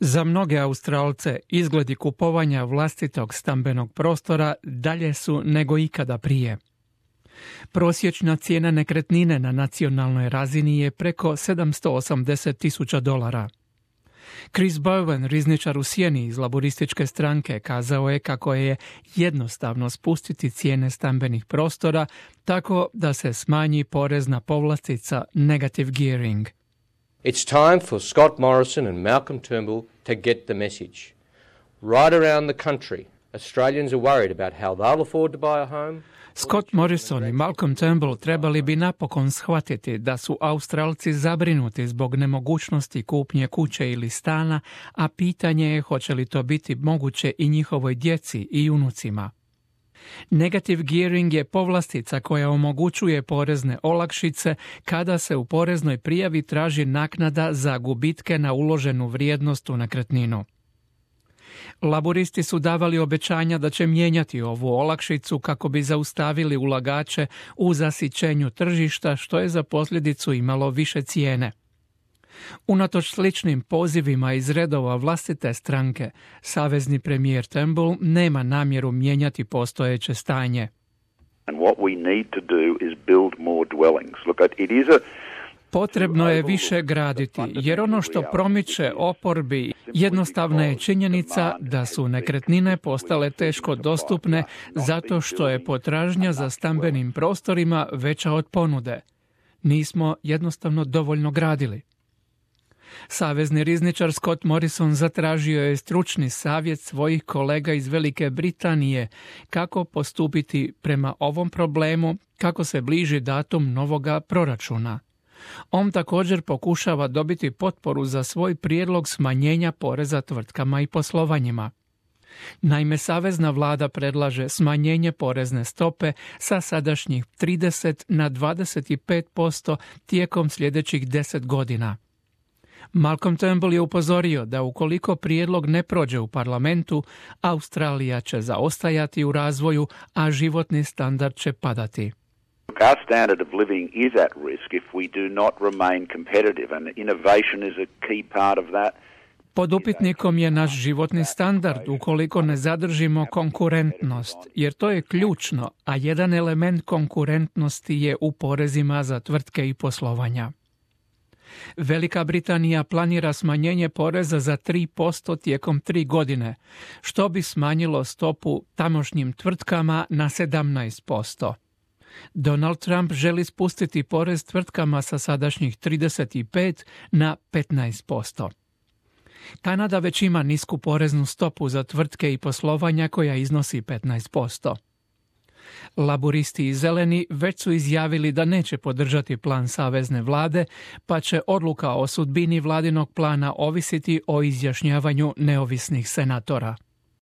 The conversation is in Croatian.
Za mnoge Australce izgledi kupovanja vlastitog stambenog prostora dalje su nego ikada prije. Prosječna cijena nekretnine na nacionalnoj razini je preko $780,000. Chris Bowen, rizničar u sjeni iz laborističke stranke, kazao je kako je jednostavno spustiti cijene stambenih prostora tako da se smanji porezna povlastica negative gearing. It's time for Scott Morrison and Malcolm Turnbull to get the message. Right around the country, Australians are worried about how they'll afford to buy a home. Scott Morrison i Malcolm Turnbull trebali bi napokon shvatiti da su Australci zabrinuti zbog nemogućnosti kupnje kuće ili stana, a pitanje je hoće li to biti moguće i njihovoj djeci i unucima. Negative gearing je povlastica koja omogućuje porezne olakšice kada se u poreznoj prijavi traži naknada za gubitke na uloženu vrijednost u nekretninu. Laboristi su davali obećanja da će mijenjati ovu olakšicu kako bi zaustavili ulagače u zasićenju tržišta, što je za posljedicu imalo više cijene. Unatoč sličnim pozivima iz redova vlastite stranke, savezni premijer Turnbull nema namjeru mijenjati postojeće stanje. And what we need to do is build more dwellings. Look, it is a Potrebno je više graditi, jer ono što promiče oporbi jednostavna je činjenica da su nekretnine postale teško dostupne zato što je potražnja za stambenim prostorima veća od ponude. Nismo jednostavno dovoljno gradili. Savezni rizničar Scott Morrison zatražio je stručni savjet svojih kolega iz Velike Britanije kako postupiti prema ovom problemu kako se bliži datum novoga proračuna. On također pokušava dobiti potporu za svoj prijedlog smanjenja poreza tvrtkama i poslovanjima. Naime, savezna vlada predlaže smanjenje porezne stope sa sadašnjih 30 na 25% tijekom sljedećih 10 godina. Malcolm Turnbull je upozorio da ukoliko prijedlog ne prođe u parlamentu, Australija će zaostajati u razvoju, a životni standard će padati. Our standard of living is at risk if we do not remain competitive, and innovation is a key part of that. Pod upitnikom je naš životni standard ukoliko ne zadržimo konkurentnost, jer to je ključno, a jedan element konkurentnosti je u porezima za tvrtke i poslovanja. Velika Britanija planira smanjenje poreza za 3% tijekom 3 godine, što bi smanjilo stopu tamošnjim tvrtkama na 17%. Donald Trump želi spustiti porez tvrtkama sa sadašnjih 35 na 15%. Kanada već ima nisku poreznu stopu za tvrtke i poslovanja koja iznosi 15%. Laboristi i zeleni već su izjavili da neće podržati plan savezne vlade, pa će odluka o sudbini vladinog plana ovisiti o izjašnjavanju neovisnih senatora.